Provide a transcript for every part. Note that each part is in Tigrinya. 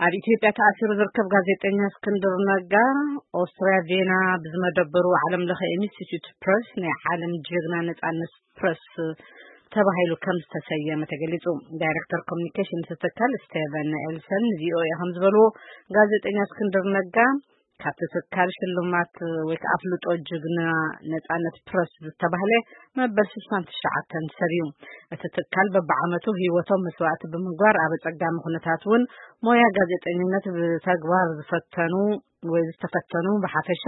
ኣብ ኢትዮጵያ ተኣሲሩ ዝርከብ ጋዜጠኛ እስክንድር ነጋ፣ ኦስትርያ ቬና ብዝመደበሩ ዓለም ለኸ ኢንስቲትዩት ፕረስ ናይ ዓለም ጅግና ነጻነት ፕረስ ተባሂሉ ከም ዝተሰየመ ተገሊጹ። ዳይሬክተር ኮሚኒኬሽን እቲ ትካል ስቴቨን ኤልሰን ንቪኦኤ ከም ዝበልዎ፣ ጋዜጠኛ እስክንድር ነጋ ካብቲ ትካል ሽልማት ወይ ከዓ ኣፍልጦ ጅግና ነጻነት ፕረስ ዝተባህለ መበል ስሳን ትሽዓተን ሰብ እዩ። እቲ ትካል በብዓመቱ ህይወቶም መስዋእቲ ብምግባር ኣብ ኣጸጋሚ ኩነታት እውን ሞያ ጋዜጠኝነት ብተግባር ዝፈተኑ ወይ ዝተፈተኑ ብሓፈሻ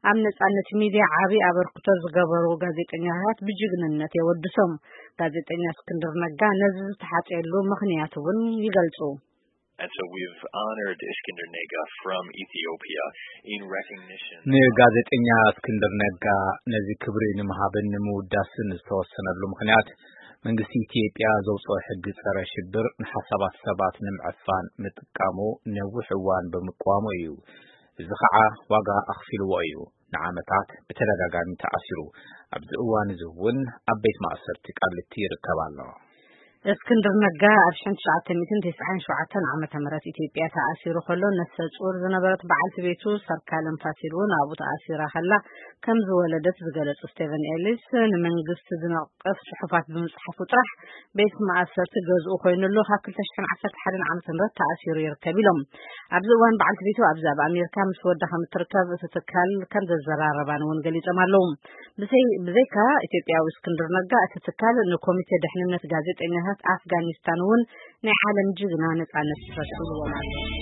ኣብ ነጻነት ሚድያ ዓቢ ኣበርክቶ ዝገበሩ ጋዜጠኛታት ብጅግንነት የወድሶም። ጋዜጠኛ እስክንድር ነጋ ነዚ ዝተሓጽየሉ ምኽንያት እውን ይገልጹ። And so we've honored Iskender Nega from Ethiopia in recognition ንጋዜጠኛ እስክንድር ነጋ ነዚ ክብሪ ንምሃብን ንምውዳስን ዝተወሰነሉ ምኽንያት፣ መንግስቲ ኢትዮጵያ ዘውፅኦ ሕጊ ፀረ ሽብር ንሓሳባት ሰባት ንምዕፋን ምጥቃሙ ነዊሕ እዋን ብምቅዋሙ እዩ። እዚ ከዓ ዋጋ ኣኽፊልዎ እዩ። ንዓመታት ብተደጋጋሚ ተኣሲሩ። ኣብዚ እዋን እዚ እውን ኣብ ቤት ማእሰርቲ ቃሊቲ ይርከብ ኣሎ። እስክንድር ነጋ ኣብ ሽሕን ትሽዓተ ሚእትን ተስዓን ሸውዓተን ዓመተ ምህረት ኢትዮጵያ ተኣሲሩ ከሎ፣ ነፍሰ ጡር ዝነበረት በዓልቲ ቤቱ ሰርካለም ፋሲል እውን ኣብኡ ተኣሲራ ከላ ከም ዝወለደት ዝገለጹ ስቴቨን ኤሊስ፣ ንመንግስቲ ዝነቅፍ ጽሑፋት ብምጽሓፉ ጥራሕ ቤት ማእሰርቲ ገዝኡ ኮይኑሉ ካብ ክልተ ሽሕን ዓሰርተ ሓደን ዓመተ ምህረት ተኣሲሩ ይርከብ ኢሎም። ኣብዚ እዋን በዓልቲ ቤቱ ኣብዚ ኣብ ኣሜሪካ ምስ ወዳ ከም እትርከብ እቲ ትካል ከም ዘዘራረባን እውን ገሊጾም ኣለዉ። ብዘይ-፣ ብዘይካ ኢትዮጵያዊ እስክንድር ነጋ፣ እቲ ትካል ንኮሚቴ ድሕንነት ጋዜጠኛታት ኣፍጋኒስታን እውን ናይ ዓለም ጅግና ነጻነት ፕረስ ይብልዎም ኣሎ።